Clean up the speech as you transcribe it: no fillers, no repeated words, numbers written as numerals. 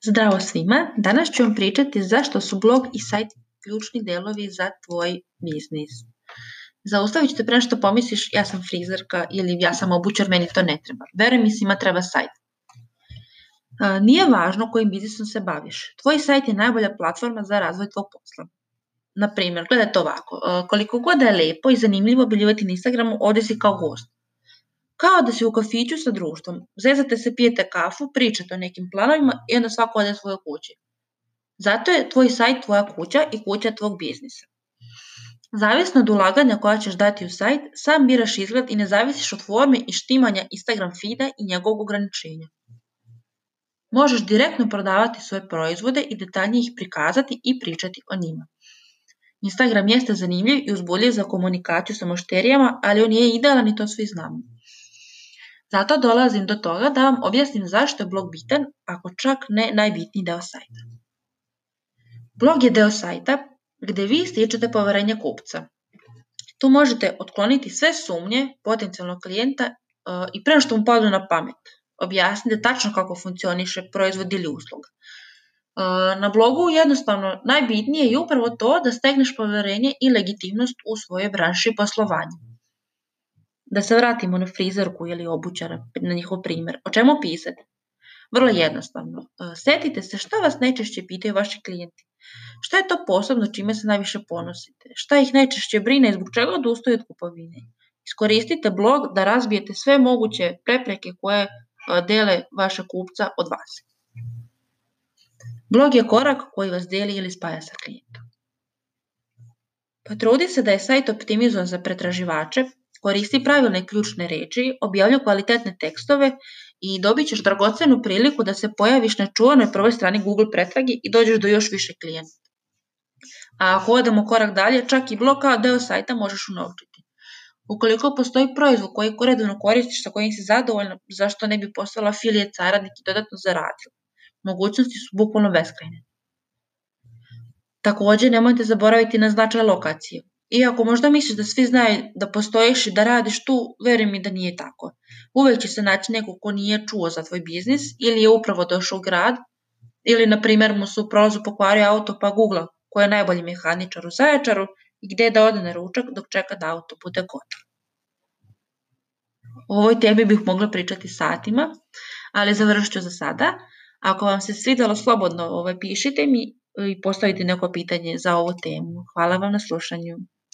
Zdravo svima, danas ću vam pričati zašto su blog i sajt ključni delovi za tvoj biznis. Zaustavit ću te pre što pomisliš ja sam frizerka ili ja sam obućar, meni to ne treba. Veruj mi, svima treba sajt. Nije važno kojim biznisom se baviš. Tvoj sajt je najbolja platforma za razvoj tvog posla. Naprimjer, gledajte ovako, koliko god je lepo i zanimljivo objavljivati na Instagramu, ovdje si kao gost. Kao da si u kafiću sa društvom, zezate se, pijete kafu, pričate o nekim planovima i onda svako ode svoje kuće. Zato je tvoj sajt tvoja kuća i kuća tvog biznisa. Zavisno od ulaganja koja ćeš dati u sajt, sam biraš izgled i ne zavisiš od forme i štimanja Instagram feeda i njegovog ograničenja. Možeš direktno prodavati svoje proizvode i detaljnije ih prikazati i pričati o njima. Instagram jeste zanimljiv i uzbudljiv za komunikaciju sa mušterijama, ali on nije idealan i to svi znamo. Zato dolazim do toga da vam objasnim zašto je blog bitan, ako čak ne najbitniji deo sajta. Blog je deo sajta gdje vi stičete poverenje kupca. Tu možete otkloniti sve sumnje potencijalnog klijenta i prema što mu padne na pamet. Objasnite tačno kako funkcioniše proizvod ili usluga. Na blogu jednostavno najbitnije je upravo to da stegneš poverenje i legitimnost u svojoj branši i poslovanju. Da se vratimo na frizerku ili obućara, na njihov primjer. O čemu pisati? Vrlo jednostavno. Setite se što vas najčešće pitaju vaši klijenti. Šta je to posebno čime se najviše ponosite? Šta ih najčešće brine i zbog čega odustaju od kupovine? Iskoristite blog da razbijete sve moguće prepreke koje dele vaše kupca od vas. Blog je korak koji vas deli ili spaja sa klijentom. Potrudi se da je sajt optimizovan za pretraživače, koristi pravilne ključne reči, objavljuj kvalitetne tekstove i dobit ćeš dragocenu priliku da se pojaviš na čuvanoj prvoj strani Google pretrage i dođeš do još više klijenata. A ako odemo korak dalje, čak i blog kao deo sajta možeš unovčiti. Ukoliko postoji proizvod koji redovno koristiš, sa kojim si zadovoljna, zašto ne bi postala affiliate saradnik i dodatno zaradila? Mogućnosti su bukvalno beskrajne. Također, nemojte zaboraviti na značaj lokacije. Iako možda misliš da svi znaju da postojiš i da radiš tu, veruj mi da nije tako. Uvijek će se naći neko ko nije čuo za tvoj biznis ili je upravo došao u grad ili, na primjer, mu se u prolazu pokvario auto pa googla ko je najbolji mehaničar u Zaječaru i gdje da ode na ručak dok čeka da auto bude gotov. O ovoj temi bih mogla pričati satima, ali završit ću za sada. Ako vam se svidjelo, slobodno pišite mi i postavite neko pitanje za ovu temu. Hvala vam na slušanju.